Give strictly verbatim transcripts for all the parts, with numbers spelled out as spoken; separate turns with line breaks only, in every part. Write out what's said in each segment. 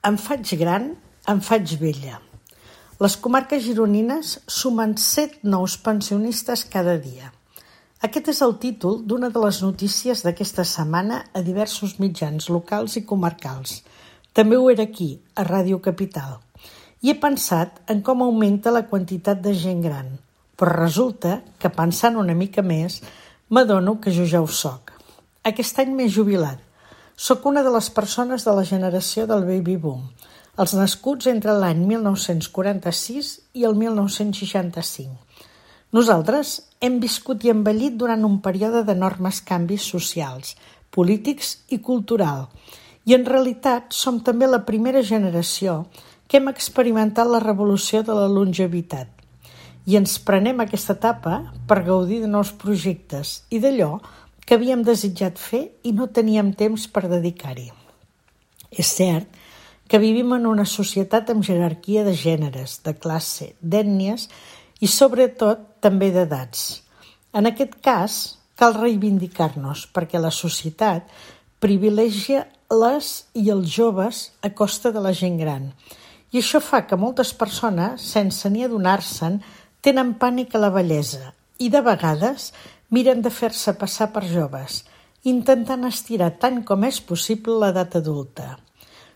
Em faig gran, em faig vella. Les comarques gironines sumen set nous pensionistes cada dia. Aquest és el títol d'una de les notícies d'aquesta setmana a diversos mitjans locals i comarcals. També ho era aquí, a Ràdio Capital. I he pensat en com augmenta la quantitat de gent gran, però resulta que pensant una mica més m'adono que jo ja ho soc. Aquest any m'he jubilat. Soc una de les persones de la generació del baby boom, els nascuts entre l'any mil nou-cents quaranta-sis i el mil nou-cents seixanta-cinc. Nosaltres hem viscut i envellit durant un període d'enormes canvis socials, polítics i cultural, i en realitat som també la primera generació que hem experimentat la revolució de la longevitat. I ens prenem aquesta etapa per gaudir de nous projectes i d'allò que havíem desitjat fer i no teníem temps per dedicar-hi. És cert que vivim en una societat amb jerarquia de gèneres, de classe, d'ètnies i sobretot també d'edats. En aquest cas, cal reivindicar-nos perquè la societat privilegia les i els joves a costa de la gent gran. I això fa que moltes persones, sense ni adonar-se'n, tenen pànic a la vellesa i de vegades miren de fer-se passar per joves, intentant estirar tant com és possible l'edat adulta.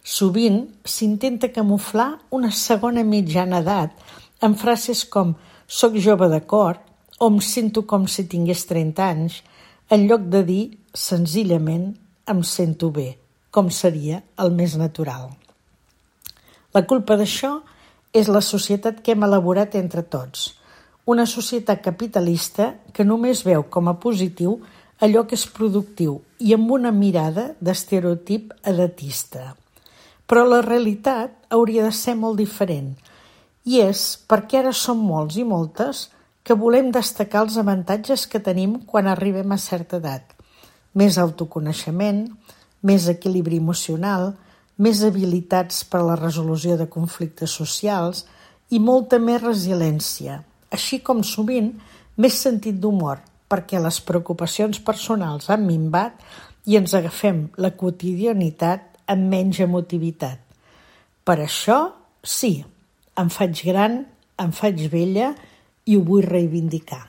Sovint s'intenta camuflar una segona mitjana edat amb frases com «soc jove de cor» o «em sento com si tingués trenta anys», en lloc de dir senzillament «em sento bé», com seria el més natural. La culpa d'això és la societat que hem elaborat entre tots, una societat capitalista que només veu com a positiu allò que és productiu i amb una mirada d'estereotip edatista. Però la realitat hauria de ser molt diferent, i és perquè ara som molts i moltes que volem destacar els avantatges que tenim quan arribem a certa edat. Més autoconeixement, més equilibri emocional, més habilitats per a la resolució de conflictes socials i molta més resiliència, així com sovint més sentit d'humor, perquè les preocupacions personals han minvat i ens agafem la quotidianitat amb menys emotivitat. Per això, sí, em faig gran, em faig vella i ho vull reivindicar.